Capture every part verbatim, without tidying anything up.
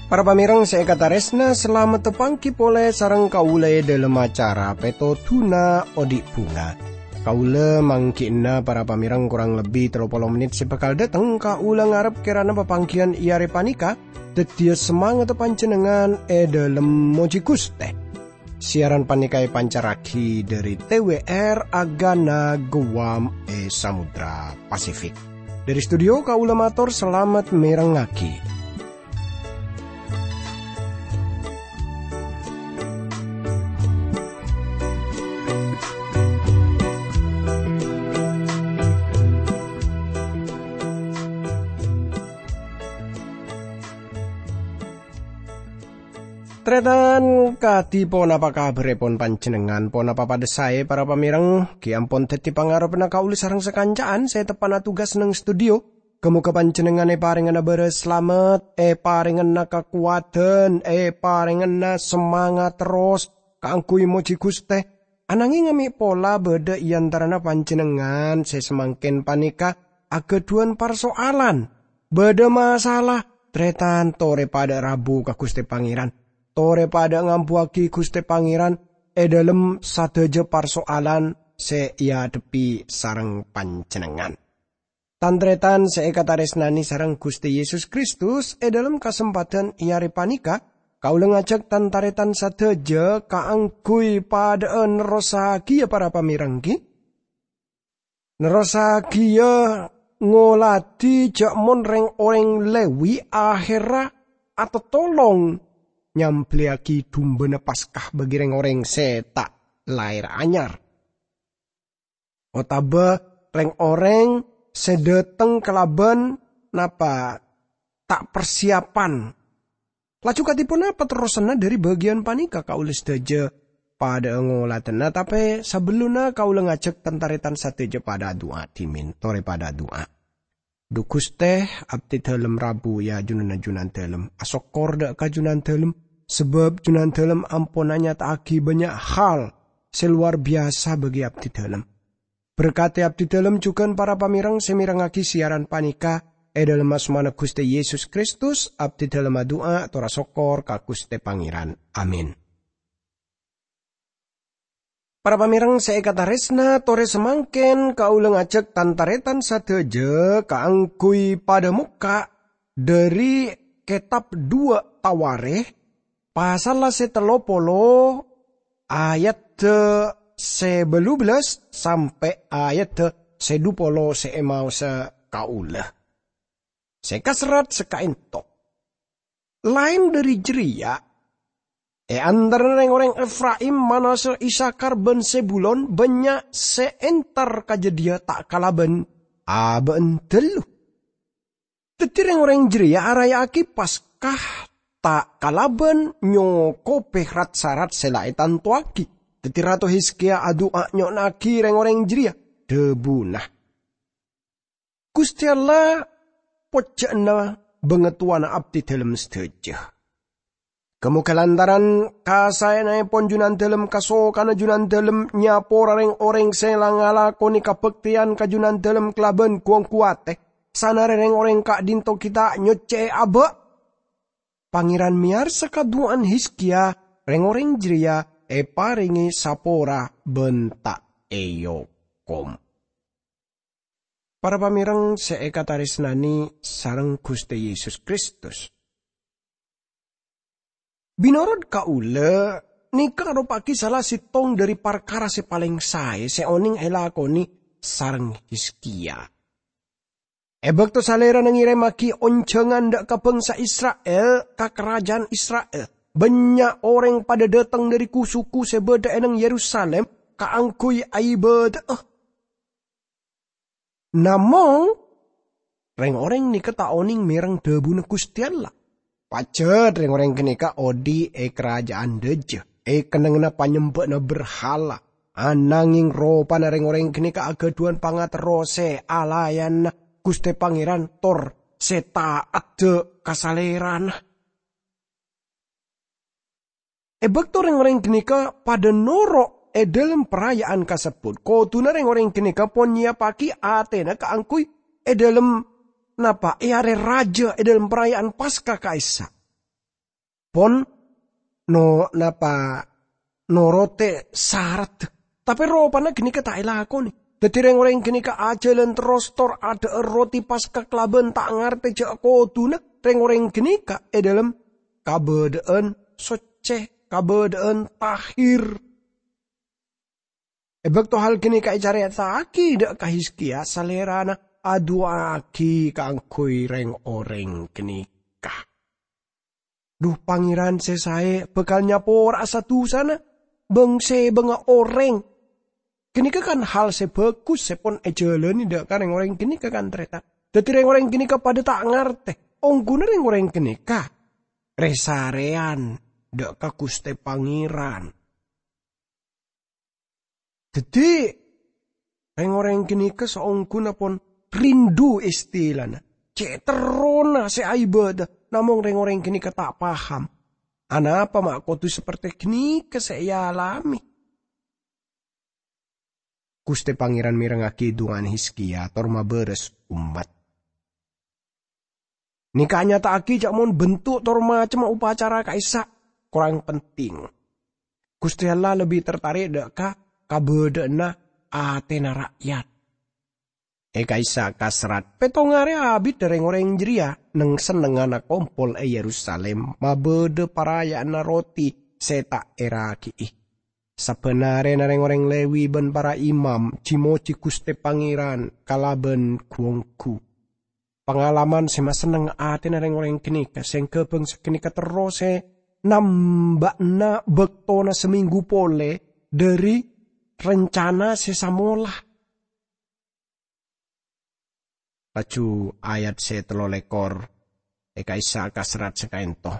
Para pamèrèng sè èkatarèsna, salamet tapangghi polè sareng kaulâ è dhâlem acara Pètodhuna Odi' Bhunga. Kaulâ mangghi'na para pamèrèng korang lebbi tello polo mennit sè bhâkal dâteng. Kaulâ ngarep kèrana papangghiyân è arè panèka dhâddhiyâ samangatta panjhennengngan è dhâlem mojhi Ghustè. Siaran panèka èpancarraghi dhâri T W R Agana Guam è Samudra Pasifik. Dhâri studio kaulâ mator salamet mèrengngaghi. Tarètan, kadhi ponapa kabhârrèpon panjhennengngan? Ponapa padhâ saè, para pamèrèng? Ghi' ampon dhâddhi pangarebbhâ kaulâ sareng sakanca'an sè teppa'na tugas neng studio. Ghâ-moghâ panjhennengngan èparèngana bârâs salamet, èparèngana kakowadhân, èparèngana samangat terros kaangghuy mojhi Ghustè. Ananghing mè' pola bâdâ è antarana panjhennengngan sè samangkèn panèka aghâdhuwân parso'alan. Bâdâ masalah, tarètan, torè padâ rabu ka Ghustè Pangèran. Torè padâ ngambuwâghi Ghustè Pangèran è dhâlem sadhâjâ parso'alan sè èadhebbhi sareng panjhennengngan. Tan-tarètan sè èkatarèsnanè sareng Ghustè Yesus Kristus, è dhâlem kasempadhân è arè panèka, kaulâ ngajhâk tan-tarètan sadhâjâ kaangghuy padâ'â nerrossaghiyâ para pamèrèng, ghi. Nerrossaghiyâ ngoladhi jhâ' mon rèng-orèng Lewi ahèrra atatolong nyambelliyâghi dumbâna Paska bagi rèng-orèng sè ta' laèr anyar. Otabâ rèng-orèng sè dâteng kalabân napa ta' parsiyapan. Laju kadhi ponapa terrosanna dhâri bâgiyân panèka? Kaulâ sadhâjâ padâ'â ngoladhâna, tapè sabellunna kaulâ ngajhâk tan-tarètan sadhâjâ padâ adu'a dhimèn, torè padâ adu'a. Dhu Ghustè, abdhi dhâlem rabu è ajunanna Junandhâlem. Asokkor dâ' ka Junandhâlem, sabâb Junandhâlem ampon anyata'aghi bânnya' hal sè lowar biyasa bagi abdhi dhâlem. Berkadhi abdhi dhâlem jhughân para pamèrèng sè mèrengngaghi siaran panèka. È dhâlem asmana Ghustè Yesus Kristus, abdhi dhâlem adu'a tor asokkor ka Ghustè Pangèran. Amin. Para pamèrèng sè èkatarèsna, torè samangkèn kaulâ ngajhâk tan-tarètan sadhâjâ kaangghuy padâ mokka' dhâri kètab Duwâ' Tawarikh, pasalla sè tello polo, ayadda sè bâllu bellâs sampè' ayadda sè dhu polo sè èmaosa kaulâ. Sè kaserrat saka'ènto. Laèn dhâri jârèya, è antarana rèng-orèng Efraim, Manasya, Isakhar, bân Zebulon, bânnya' sè entar ka jâdiyâ ta' kalabân abâ'na ghâllu. Dhâddhi rèng-orèng jârèya araya'aghi Paska ta' kalabân nyokobhi rat-sarat sè la ètantowaghi. Dhâddhi Rato Hizkiya adu'a nyo'onnaghi rèng-orèng jârèya, dhâbuna, "Ghustè Allah pojjhâ'ânna bhângatowana abdhi dhâlem sadhâjâ. Ghâ-moghâ lantaran kasaènaèpon Junandhâlem, kasokanna Junandhâlem nyapora rèng-orèng sè la ngalakonè kabhâktèyan ka Junandhâlem kalabân gu-ongghu atè, sanarè rèng-orèng ka'dinto ghi' ta' nyoccè'è abâ'." Pangèran mèyarsa kadu'â'ân Hizkiya, rèng-orèng jârèya èparèngè sapora bân ta' èokom. Para pamèrèng sè èkatarèsnanè sareng Ghustè Yesus Kristus. Binorot kaulâ, nèka aropa'aghi sala sèttong dhâri parkara sè palèng saè sè onèng èlakonè sareng Hizkiya. È bâkto Salèrana ngèrèmmaghi onjhângan dâ' ka bhângsa Isra'il, ka karaja'an Isra'il, bânnya' orèng padâ dâteng dhâri ku-suku sè bâdâ è neng Yerusalim kaangghuy aibâdâ'â. Namong, rèng-orèng nèka ta' onèng mèreng dhâbuna Ghustè Allah. Pajhât rèng-orèng ghânèka odi' è karaja'an dâjâ, è kennengnganna panyembâ'na berhala. Ananghing ropana rèng-orèng ghânèka aghâdhuwân pangaterro sè alaèna Ghustè Pangèran tor sè ta'at dâ' ka Salèrana. E bâkto rèng-orèng ghânèka padâ noro' è dhâlem paraya'an kasebbhut, kodhuna rèng-orèng ghânèka pon nyèyappaghi atèna kaangghuy è dhâlem, napa, è arè rajâ è dhâlem paraya'an Paska ka'issa'. Pon no-, napa, norote sarat. Tapè ropana ghânèka ta' èlakonè. Dhâddhi rèng-orèng ghânèka ajhâlân terros tor adhâ'âr roti Paska kalabân ta' ngartè jâ' kodhuna rèng-orèng ghânèka è dhâlem kabâdâ'ân soccè, kabâdâ'ân tahir. E bâkto hal ghânèka ècarèta'aghi dâ' ka Hizkiya, salèrana adu'aaghi kaangghuy rèng-orèng ghânèka. Dhu, Pangèran sè saè bhâkal nyapora'a sa-dusana bâng-sèbângnga orèng. Ghânèka kan hal sè bhâghus sè pon èjhâlânè dâ' ka rèng-orèng ghânèka, kan, tarètan. Dhâddhi rèng-orèng ghânèka padâ ta' ngartè, ongghuna rèng-orèng ghânèka rè-sarèyan dâ' ka Ghustè Pangèran. Dhâddhi, rèng-orèng ghânèka saongghuna pon rèndhu istilana, cè' terrona sè aèbâdâ, namong rèng-orèng ghânèka ta' paham, anapa ma' kodhu sapertè ghânèka sè èalamè. Ghustè Pangèran mèrengngaghi du'ana Hizkiya tor mabârâs ommat. Nèka anyata'aghi jâ' mon bentuk tor macemma upacara ka'issa' korang penting. Ghustè Allah lebbi tertarik dâ' ka kabâdâ'ânna atèna ra'yat. È ka'issa' kaserrat, pètto arè abit rèng-orèng jârèya neng-sennengnganna kompol è Yerusalim mabâdâ paraya'anna roti sè ta' èraghi'i. Sabbhân arèna rèng-orèng Lewi bân para imam ji-mojhi Ghustè Pangèran kalabân gu-onggu. Pangalaman sè masenneng atèna rèng-orèng ghânèka, sèngghâ bâng saghânèka terro sè namba'na bâktona samènggu polè dhâri rencana sè samola. Laju ayat sè tello lèkor è ka'issa' kaserrat sakaènto.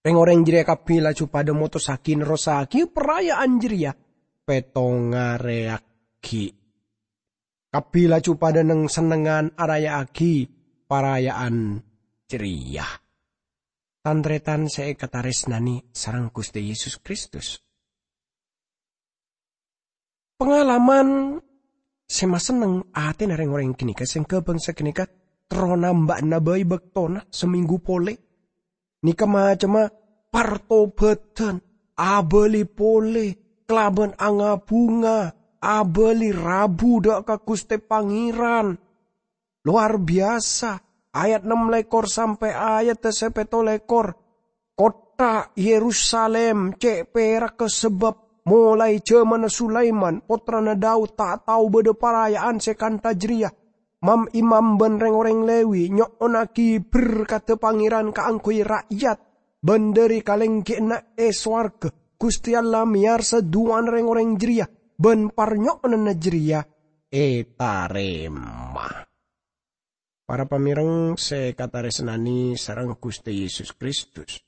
Rèng-orèng jârèya kabbhi laju padâ motossaghi nerrossaghi paraya'an jârèya pètto arè aghi'. Kabbhi laju padâ neng-sennengngan araya'aghi paraya'an jârèya. Tan-tarètan sè èkatarèsnanè sareng Ghustè Yesus Kristus. Pangalaman sè masenneng atèna rèng-orèng ghânèka sèngghâ bâng saghânèka terro namba'na bhâi bâktona samènggu polè. Nèka macemma partobhâdhân, abâli polè, kalabân nga-bhunga, abâli rabu dâ' ka Ghustè Pangèran. Lowar biyasa, ayat nem lèkor sampè' ayat sè pètto lèkor. Kottha Yerusalim cè' pèrakka sabâb molaè jhâmanna Sulaiman, pottrana Daud, ta' tao bâdâ paraya'an sè kantha jârèya. Mam-imam bân rèng-orèng Lewi nyo'onnaghi berkaddhâ Pangèran kaangghuy ra'yat, bân dhâri kalèngghina è sowarghâ, Ghustè Allah mèyarsa du'ana rèng-orèng jârèya, bân parnyo'onanna jârèya ètarèma. Para pamèreng sè èkatarèsnanè sareng Ghustè Yesus Kristus.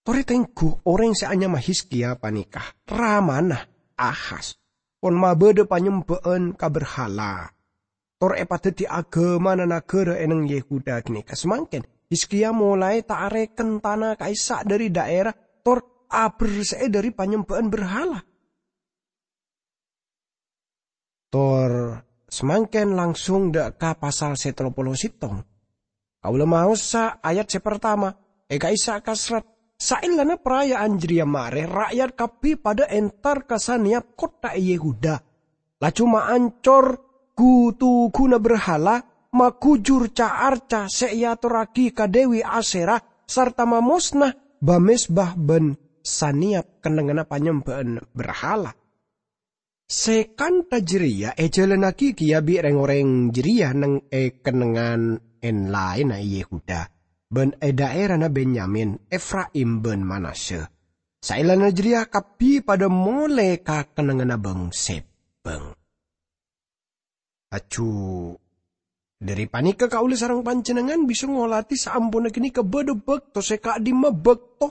Torè tengghu, orèng sè anyama Hizkiya panèka, ramana Ahaz, pon mabâdâ panyembâ'ân ka berhala, tor èpadhâddhi aghâmana naghârâ è neng Yehuda ghânèka. Samangkèn, Hizkiya molaè ta' arèken tana ka'issa' dhâri dhaèra, tor aberse'è dhâri panyembâ'ân berhala. Tor samangkèn langsung dâ' ka pasal sè tello polo sèttong. Kaulâ maosa ayat sè partama, è ka'issa' kaserrat, "Saellana paraya'an jârèya marè, ra'yat kabbhi padâ entar ka sanèyap kottha è Yehuda. Laju maancor gu-tughuna berhala, maghujur ca-arca sè èatorraghi ka Dewi Asyera, sarta mamosna ba-mezba bân sanèyap kennengnganna panyembâ'ân berhala." Sè kantha jârèya èjhâlânnaghi kèya bi' rèng-orèng jârèya neng è kennengngan en-laènna è Yehuda, bân è dhaèrana Benyamin, Efraim, bân Manasya. Saellana jârèya kabbhi padâ molè ka kennengnganna bâng-sèbâng. Laju dhâri panèka kaulâ sareng panjhennengngan bisa ngolatè saamponna ghânèka bâdâ bâkto sè ka'dimma bâkto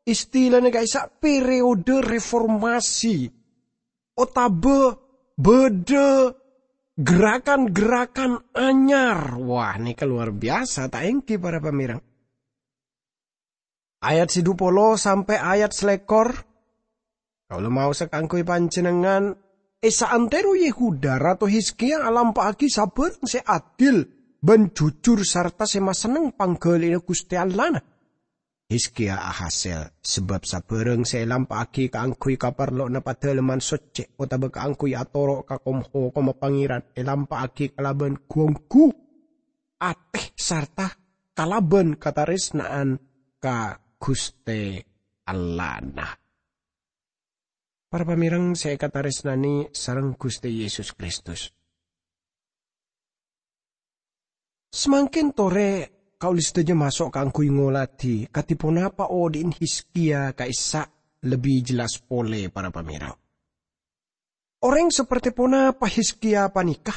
istilana ka'issa' periode reformasi, otabâ bâdâ gerakan-gerakan anyar. Wah, nèka luar biasa, ta' èngghi, para pamèreng? Ayat sè dhu polo sampè' ayat salèkor. Kaulâ maosa kaangghuy panjhennengngan, è saantèro Yehuda, Rato Hizkia alampa'aghi sabârâng sè adil bân jujur sarta sè masenneng pangghâli'na Ghustè Allahna. Hizkia ahasèl, sabâb sabârâng sè èlampa'aghi kaangghuy kaparlowanna Padâlemman Soccè otabâ kaangghuy atoro' ka kom-hokomma Pangèran èlampa'aghi kalabân ghu-ongghu atè sarta kalabân katarèsna'an ka Ghustè Allahna. Para pamèreng sè èkatarèsnanè sareng Ghustè Yesus Kristus. Samangkèn torè kaulâ sadhâjâ maso' kaangghuy ngoladhi kadhi ponapa odhi'na Hizkia ka'issa' lebbi jelas polè, para pamèreng. Orèng saperti ponapa Hizkia panèka?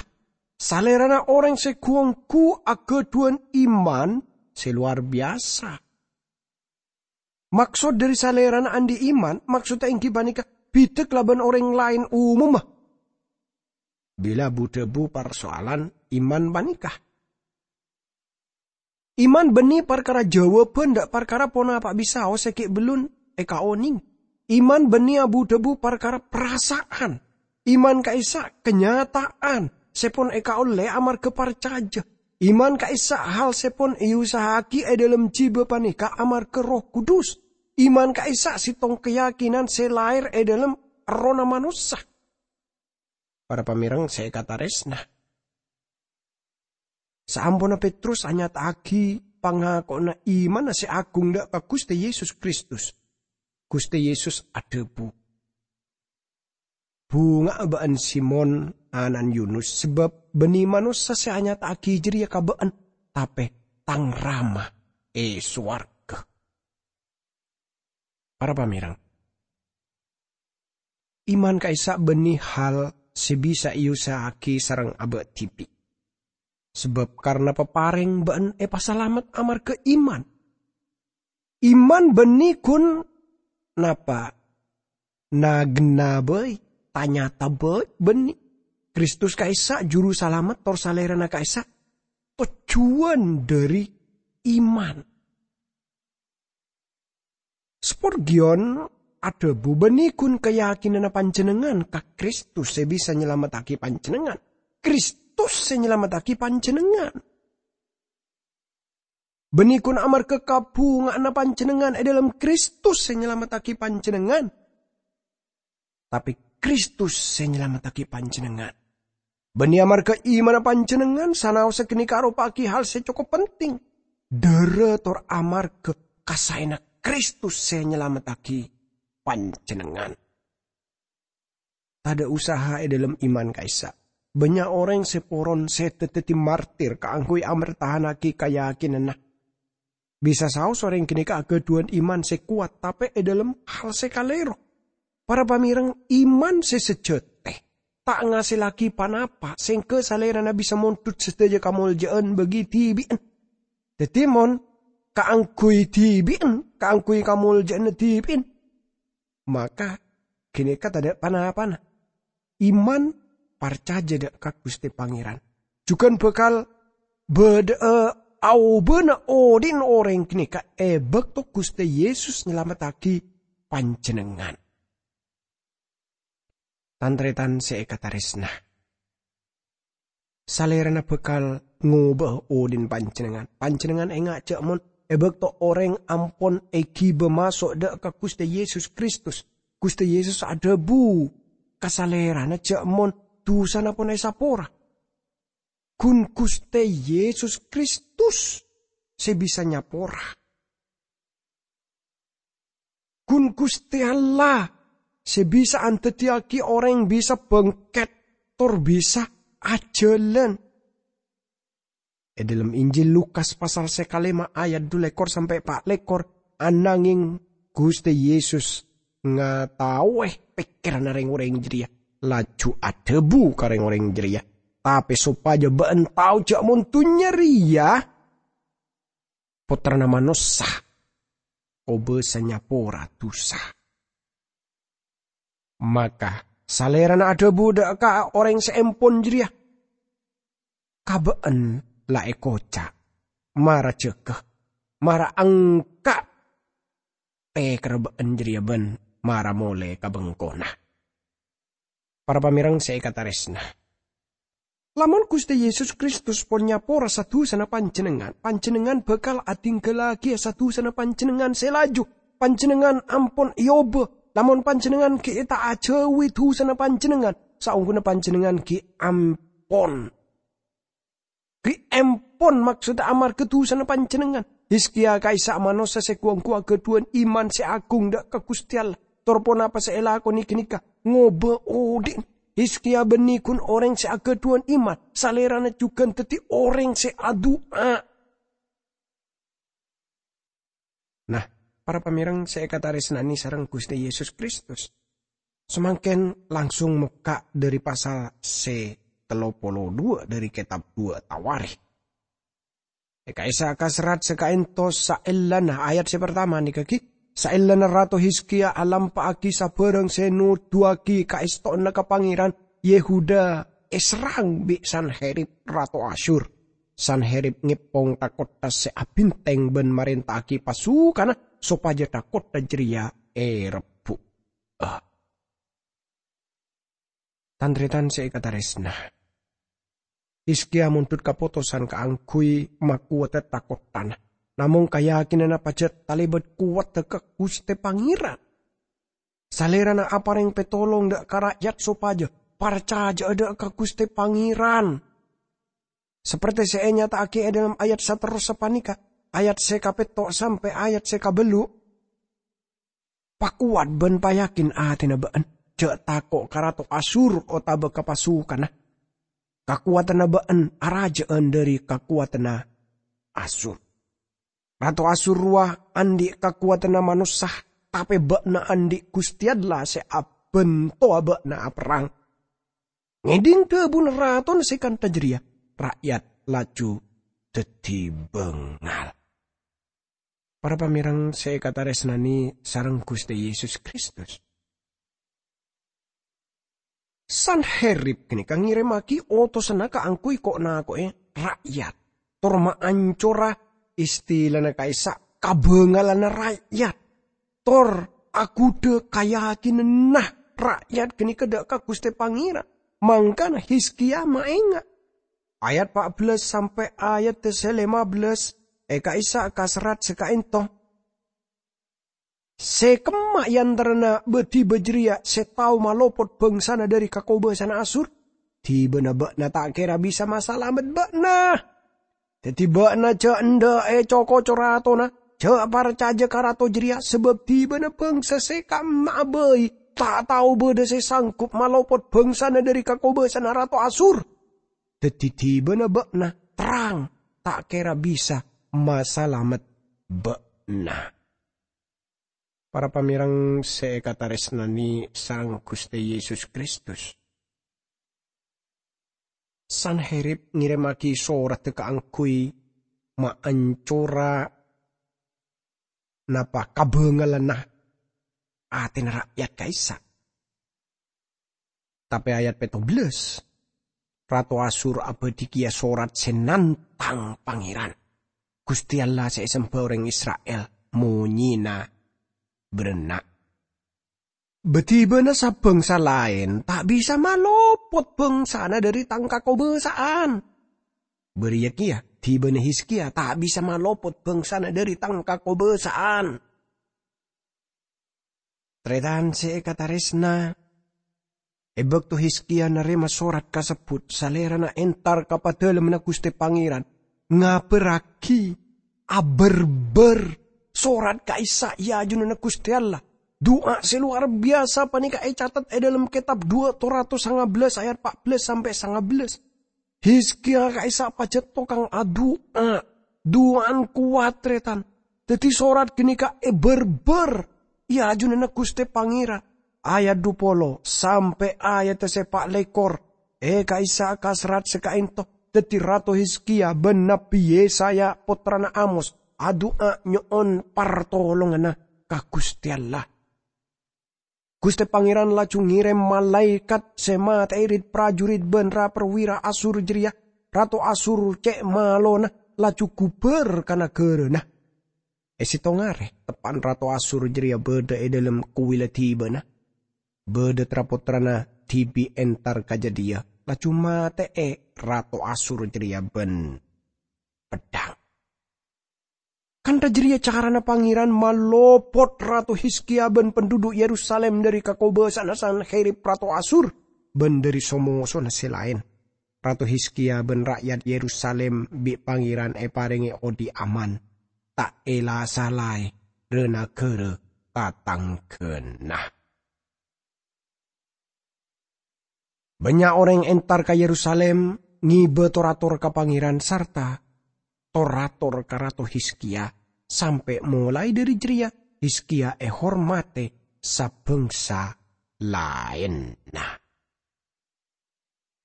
Salèrana orèng sè ghu-ongghu aghâdhuwân iman sè lowar biyasa. Maksod dhâri salèrana andi' iman, maksoddhâ èngghi panèka bhidhâ kalabân orèng laèn omomma. Bilâ bu-dhâbu parsoalan iman panèka. Iman bânnè parkara jâwâbhân dâ' parkara ponapa bisaos sè ghi' bellun èkaonèng. Iman bânnè abu-dhâbu parkara parasa'an. Iman ka'issa' kanyata'an sè pon èkaollè amarghâ parcajâ. Iman ka'issa' hal sè pon èusaha'aghi è dhâlem jhibâ panèka amarghâ Erroh Kudus. Iman ka'issa' sèttong kayakinan sè lahèr è dhâlem errohna manossa. Para pamèreng sè èkatarèsna. Saamponna Petrus anyata'aghi pangako'anna imanna sè agung dâ' ka Ghustè Yesus Kristus, Ghustè Yesus adhâbu, "Bhunga'a bâ'ân, Simon, ana'na Yunus, sabâb bânnè manossa sè anyata'aghi jârèya ka bâ'ân, tapè Tang Rama è sowarghâ." Para pamèreng, iman ka'issa' bânnè hal sè bisa èusaha'aghi sareng abâ' dhibi'. Sabâb karna paparèng bâ'ân èpasalamet amarghâ iman. Iman bânnè ghun napa? Nagenna bhâi, tanyata bhâi bânnè. Kristus ka'issa' Jurusalamet tor Salèrana ka'issa' tojjhuwân dhâri iman. Spurgeon adhâbu, "Bânnè ghun kayakinanna panjhennengngan ka Kristus sè bisa nyalamettaghi panjhennengngan. Kristus sè nyalamettaghi panjhennengngan. Bânnè ghun amarghâ kabhunga'anna panjhennengngan è dhâlem Kristus sè nyalamettaghi panjhennengngan." Tapè Kristus sè nyalamettaghi panjhennengngan. Bânnè amarghâ imanna panjhennengngan, sanaossa ghânèka aropa'aghi hal sè cokop penting. Dhârâ tor amarghâ kasaèna Kristus sè nyalamettaghi panjhennengngan. Tadâ' usaha è dhâlem iman ka'issa'. Bânnya' orèng sè poron sèdhâ dhâddhi martir kaangghuy ampertahanaghi kayakinanna. Bisa saos orèng ghânèka aghâdhuwân iman sè kowat, tapè è dhâlem hal sè kalèro. Para pamèreng, iman sè sajhâtè ta' ngasèllaghi ponapa, sèngghâ Salèrana bisa mondhut sadhâjâ kamoljâ'ân bagi dhibi'ân. Dhâddhi, mon kaangghuy dhibi'ân, kaangghuy kamoljâ'ânna dhibi'ân, maka ghânèka tadâ' pa-napana. Iman parcajâ dâ' ka Ghustè Pangèran jhughân bhâkal bâdâ'â aobâna odhi'na orèng ghânèka è bâkto Ghustè Yesus nyalamettaghi panjhennengngan. Tan-tarètan sè èkatarèsna, Salèrana bhâkal ngobâ'â odhi'na panjhennengngan. Panjhennengngan enga' jâ' mon è bâkto orèng ampon èghibâ maso' dâ' ka Ghustè Yesus Kristus, Ghustè Yesus adhâbu ka Salèrana jâ' mon dusana pon èsapora. Ghun Ghustè Yesus Kristus sè bisa nyapora. Ghun Ghustè Allah sè bisa andaddhiyâghi orèng bisa bângkèt tor bisa ajhâlân. È dhâlem Injil Lukas pasal sè kalèma' ayat dhu lèkor sampè' pa' lèkor, ananghèng Ghustè Yesus ngataowè pèkkèranna rèng-orèng jârèya, laju adhâbu ka rèng-orèng jârèya, "Tapè sopajâ bâ'ân tao jâ' mon dhunnya rèya Pottrana Manossa kobâsa nyapora dusa." Maka Salèrana adhâbu dâ' ka orèng sè empon jârèya, "Ka bâ'ân la èkoca', 'Mara jâgâ, mara engka' pèkèrra bâ'na jârèya bân mara molè ka bengkona. Para pamèreng sè èkatarèsna, lamon Ghustè Yesus Kristus pon nyapora sa-dusana panjhennengngan, panjhennengngan bhâkal adhingghâllaghi sa-dusana panjhennengngan sè laju. Panjhennengngan ampon èobâ. Lamon panjhennengngan ghi' ta' ajhâuwi dusana panjhennengngan, saongghuna panjhennengngan ghi' ampon. Ghi' empon, maksodda amarghâ dusana panjhennengngan. Hizkiya ka'issa' manossa sè ghu-ongghu aghâdhuwân iman sè agung dâ' ka Ghustè Allah. Tor ponapa sè èlakonè ghânèka? Ngobâ odhi'na. Hizkiya bânnè ghun orèng sè aghâdhuwân iman, salèrana jhughân dhâddhi orèng sè adu'a. Nah, para pamèreng sè èkatarèsnanè sareng Ghustè Yesus Kristus, samangkèn langsung mokka' dhâri pasal sè tello polo dhuwâ' dhâri kètab Dhuwâ' Tawarikh. È ka'issa' kaserrat sè ka'ènto saellana ayat sè partama nèka ghi, saellana Rato Hizkiya alampa'aghi sabârâng sè noduwâghi kaèstowanna ka Pangèran, Yehuda èserrang bi' Sanherib, rato Asyur. Sanherib ngèpong tha-kottha sè abhintèng bân marènta'aghi pasukanna sopajâ tha-kottha jârèya èrebbhu'â. Tan-tarètan sè èkatarèsna, Hizkiya mondhut kapotosan kaangghuy makowadhâ tha-kotthana, namong kayakinanna pajhât talèbât kowadhâ ka Ghustè Pangèran. Salèrana aparèng pètolong dâ' ka ra'yat sopajâ parcajâ'â dâ' ka Ghustè Pangèran. Sapertè sè ènyata'aghi è dhâlem ayat saterrossa panèka, ayat sè kapètto' sampè' ayat sè kabâllu', "Pakowat bân payakin atèna bâ'na, jhâ' tako' ka rato Asyur otabâ ka pasukanna. Kakowadhânna bâ'na arajâ'ân dhâri kakowadhânna Asyur. Rato Asyur rowa andi' kakowadhânna manossa, tapè bâ'na andi' Ghustè Allah sè abhântowa bâ'na aperrang." Ngèdhing dhâbuna ratona sè kantha jârèya, ra'yat laju dhâddhi bângal. Para pamèreng sè èkatarèsnanè sareng Ghustè Yesus Kristus, Sanherib ghânèka ngèrèmmaghi otosanna kaangghuy ko'-nako'è ra'yat, tor maancora, istilana ka'issa' kabângalanna ra'yat, tor aghudhâ kayakinanna ra'yat ghânèka dâ' ka Ghustè Pangèran. Mangkana Hizkiya maènga'. Ayat pa' bellâs sampè' ayat sè lèma bellâs è ka'issa' kaserrat sè ka'ènto. Sè kemma è antarana bâ-dhibâ jârèya sè tao malopot bhângsana dhâri kakobâsana Asyur, dhibâna bâ'na ta' kèra bisa masalamet bâ'na. Dhâddhi bâ'na jhâ' endâ' èco-koco ratona, jhâ' parcajâ ka rato jârèya, sabâb dhibâna bhângsa sè ka'emma'a bhâi ta' tao bâdâ sè sanggup malopot bhângsana dhâri kakobâsana rato Asyur. Dhâddhi dhibâna bâ'na terrang ta' kèra bisa masalamet bâ'na. Para pamèreng sè èkatarèsnanè sareng Ghustè Yesus Kristus, Sanherib ngèrèmmaghi soradda kaangghuy maancora napa kabângalanna atèna ra'yat ka'issa'. Tapè ayat pètto bellâs, Rato Asyur abâdhi kèya sorat sè nantang Pangèran, Ghustè Allah sè èsemba orèng Isra'il, monyèna bârâ'na. Bâ-dhibâna sa-bhângsa laèn ta' bisa malopot bhângsana dhâri tang kakobâsa'an. Bâriyâ kèya, dhibâna Hizkiya ta' bisa malopot bhângsana dhâri tang kakobâsa'an. Tarètan sè èkatarèsna, è bâkto Hizkiya narèma sorat kasebbhut, salèrana entar ka Padalemmanna Ghustè Pangèran, ngabârraghi, abârbâr sorat ka'issa' è ajunanna Ghustè Allah. Du'a sè lowar biyasa panèka ècatet è dhâlem kètab Du'a Toratos sanga bellâs ayat pa' bellâs sampè' sanga bellâs. Hizkiya ka'issa' pajhât tokang adu'a. Du'ana kowat, tarètan. Dhâddhi, sorat ghânèka èbârbâr è ajunanna Ghustè Pangèran. Ayat dhu polo sampè' ayat sè pa' lèkor. È ka'issa' kaserrat sè ka'ènto, dhâddhi Rato Hizkiya bân Nabbhi Yesaya, pottrana Amos, adu'a nyo'on partolonganna ka Ghustè Allah. Ghustè Pangèran laju ngèrèm malaèkat sè matè'è rit-parjurit bân ra-, parwira Asyur jârèya. Rato Asyur cè' malona laju ghubâr ka naghârâna. È sèttong arè, teppa'na Rato Asyur jârèya bâdâ è dâlem kuwilla dhibâ'na. Bâdâ tra-pottrana dhibi' entar ka jâdiyâ, laju matè'è Rato Asyur jârèya bân peddhâng. Kantha jârèya carana Pangèran malopot Rato Hizkiya bân panduduk Yerusalim dâri kakobâsa'anna Sanherib Rato Asyur bân dâri so-mosona sè laèn. Rato Hizkiya bân ra'yat Yerusalim bi' Pangèran èparèngè odi' aman, ta' èla-salaè ra-nagara tatangghâna. Bânnya' orèng entar ka Yerusalim ngibâ tor-ator ka Pangèran sarta tor-ator ka Rato Hizkiya. Sampè' molaè dâri jârèya, Hizkiya èhormatè sabângsa laènna.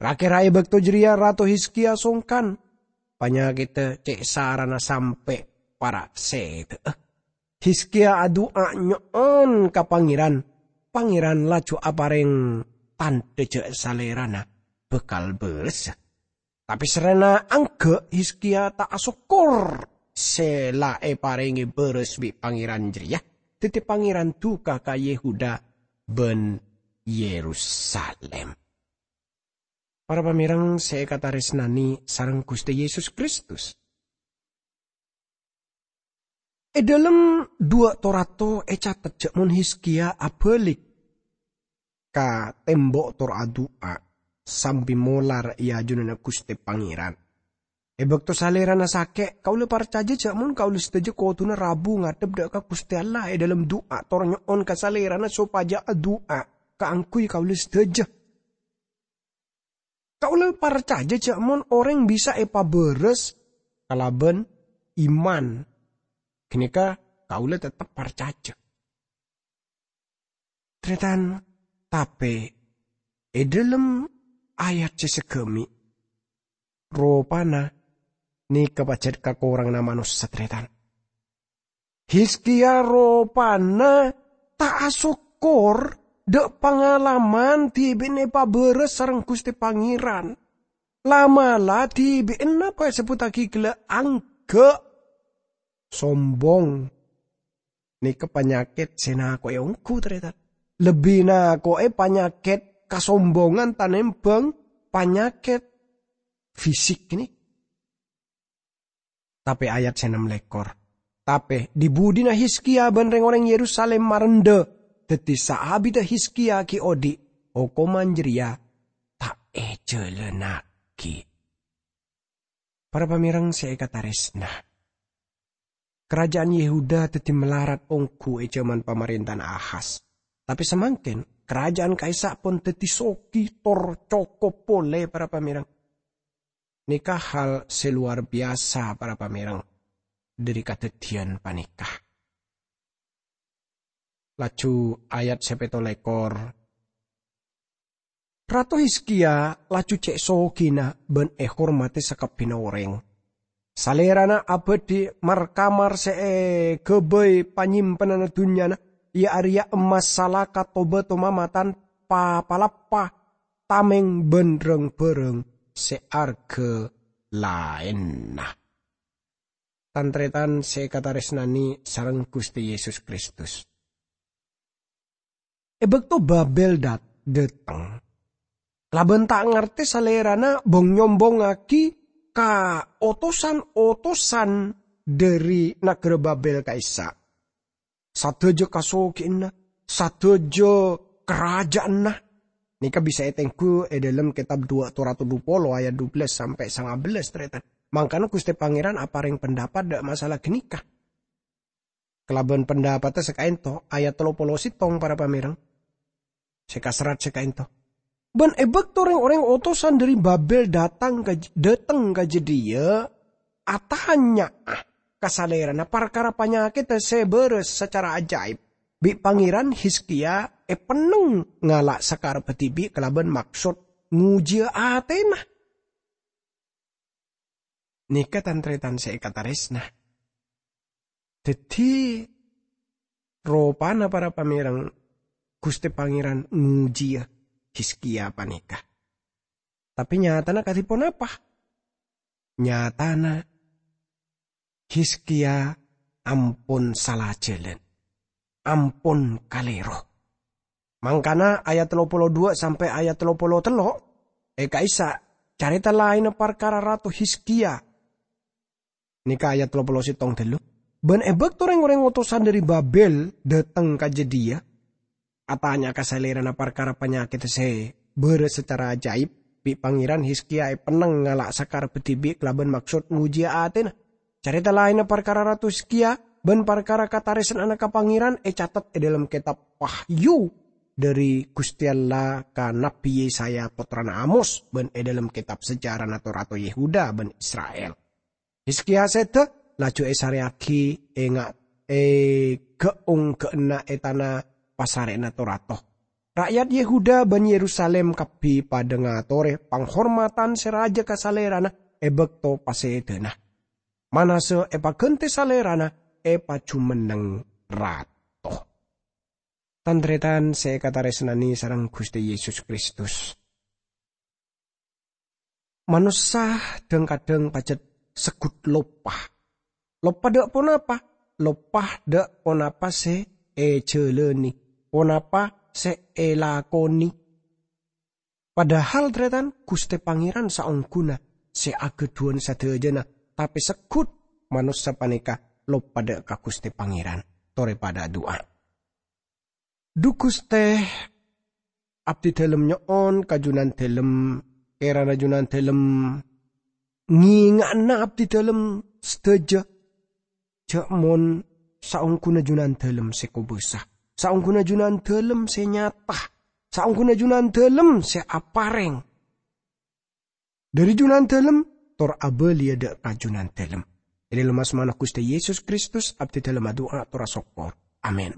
Ra-kèra è bâkto jârèya Rato Hizkiya songkan, panyakèddhâ cè' sarana sampè' para' sèdhâ'â. Hizkiya adu'a nyo'on ka Pangèran, Pangèran laju aparèng tandhâ jâ' Salèrana bhâkal bârâssa. Tapè sarrèna engghi', Hizkiya ta' asokkor sè la èparèngè bârâs bi' Pangèran jârèya, dhâddhi Pangèran duka ka Yehuda bân Yerusalim. Para pamèreng sè èkatarèsnanè sareng Ghustè Yesus Kristus. È dâlem duwâ' tor-ator ècatet jâ' mon Hizkiya abâlik ka tèmbo' tor adu'a sambi molar è ajunanna Ghustè Pangèran. È bâkto Salèrana sakè', kaulâ parcajâ jâ' mon kaulâ sadhâjâ kodhuna rabu ngadhep dâ' ka Ghustè Allah è dâlem du'a tor nyo'on ka Salèrana sopajâ adu'a kaangghuy kaulâ sadhâjâ. Kaulâ parcajâ jâ' mon orèng bisa èpabârâs kalabân iman, ghânèka kaulâ teptep parcajâ. Tarètan, tapè è dâlem ayat sè saghâmè', ropana nèka pajhât kakoranganna manossa, tarètan. Hizkiya ropana ta' asokkor dâ' pangalaman dhibi'na èpabârâs sareng Ghustè Pangèran. La'-mala' dhibi'na pas èsebbhuttaghi ghellâ' angghâ', sombong. Nèka panyakèt sè nako'è ongghu, tarètan. Lebbi nako'è panyakèt kasombongan tanèmbhâng panyakèt fisik nèka. Tapè ayat sè ennem lèkor, "Tapè dhi-budhina Hizkiya bân rèng-orèng Yerusalim marendhâ, dhâddhi saabiddhâ Hizkiya ghi' odi', hokomman jârèya ta' èjhâlânnaghi." Para pamèreng sè èkatarèsna, karaja'an Yehuda dhâddhi malarat ongghu è jhâman pamarèntana Ahas. Tapè samangkèn, karaja'an ka'issa' pon dhâddhi sogi tor cokop polè, para pamèreng. Nèka hal sè lowar biyasa, para pamèreng, dhâri kadhâddhiyân panèka. Laju ayat sè pètto lèkor, Rato Hizkiya laju cè' sogina bân èhormadhi sakabbhiyânna orèng. Salèrana abâdhi mar-kamar sè èghâbây panyimpenanna dhunnyana, iyâ arèya emmas salaka to-bâto mamatan pa-palappa, tamèng bân rang-bhârâng sè arghâ laènna. Tan-tarètan sè èkatarèsnanè sareng Ghustè Yesus Kristus. È bâkto Babèl dâ-, dâteng, kalabân ta' ngartè salèrana bhong-nyombhongngaghi ka otosan-otosan dhâri naghârâ Babèl ka'issa'. Sadhâjâ kasogiyanna, sadhâjâ karaja'anna. Nèka bisa ètengghu è dâlem kètab Duwâ' Tor-ator dhu polo ayat dhu bellâs sampè' sanga bellâs, tarètan. Mangkana Ghustè Pangèran aparèng pendapat dâ' masalah ghânèka. Kalabân pendapatta sè kaènto, ayat tello polo sèttong, para pamèreng. Sè kaserrat sè kaènto. Bân è bâkto rèng-orèng otosan dhâri Babèl dâteng ka, dâteng ka jâdiyâ, atanya'a ka salèrana parkara panyakèdda sè bârâs sacara ajaib, bi' Pangèran Hizkiya èpenneng ngala' sakarebbhâ dhibi' kalabân maksod ngojiyâ atèna. Nèka tan-tarètan sè èkatarèsna. Dhâddhi, ropana para pamèreng Ghustè Pangèran ngojiyâ Hizkiya panèka. Tapè nyatana kadhi ponapa? Nyatana Hizkiya ampon sala jhâlân, ampon kalèro. Mangkana ayat tello polo dua sampè' ayat tello polo tello' è ka'issa' carèta laènna parkara Rato Hizkia. Nèka ayat tello polo sèttong ghâllu. Bân è bâkto rèng-orèng otosan dhâri Babel dâteng ka jâdiyâ, atanya'a ka salèrana parkara panyakèdda sè bârâs sacara ajaib, bi' Pangèran Hizkia èpennèng ngala' sakarebbhâ dhibi' kalabân maksod ngojiyâ atèna. Carèta laènna parkara Rato Hizkia bân parkara katarèsna'anna ka Pangèran ècatet è dhâlem kètab Wahyu dhâri Ghustè Allah ka Nabbhi Yesaya pottrana Amos bân è dhâlem kètab sejarana to-rato Yehuda bân Isra'il. Hizkia sèdhâ laju èsarèyaghi è nga-, è ghâ'ung-ghâ'enna è tana pasarè'na to-rato. Ra'yat Yehuda bân Yerusalim kabbhi padhâ ngatorè panghormadhân sè rajâ ka salèrana è bâkto pasèdhâna. Manase èpaghântè salèrana èpajumenneng rato. Tan-tarètan sè èkatarèsnanè sareng Ghustè Yesus Kristus. Manossa dhâng-kadhâng pajhât segghut loppa. Loppa dâ' ponapa? Loppa dâ' ponapa sè èjhâlânè, ponapa sè èlakonè. Padahal, tarètan, Ghustè Pangèran saongghuna sè aghâdhuwân sadhâjâna, tapè segghut manossa panèka loppa dâ' ka Ghustè Pangèran. Torè padhâ adu'a. Dhu Ghustè, abdhidhâlem nyo'on ka Jhunandhâlem, kèrana Jhunandhâlem ngènga'ana abdhidhâlem sadhâjâ. Jhâ' mon saongghuna Jhunandhâlem sè kobâsa, saongghuna Jhunandhâlem sè nyata, saongghuna Jhunandhâlem sè aparèng. Dhâri Jhunandhâlem, tor abâliyâ dâ' ka Jhunandhâlem. È dhâlem asmana Ghustè Yesus Kristus, abdhidhâlem adu'a tor asokkor. Amin.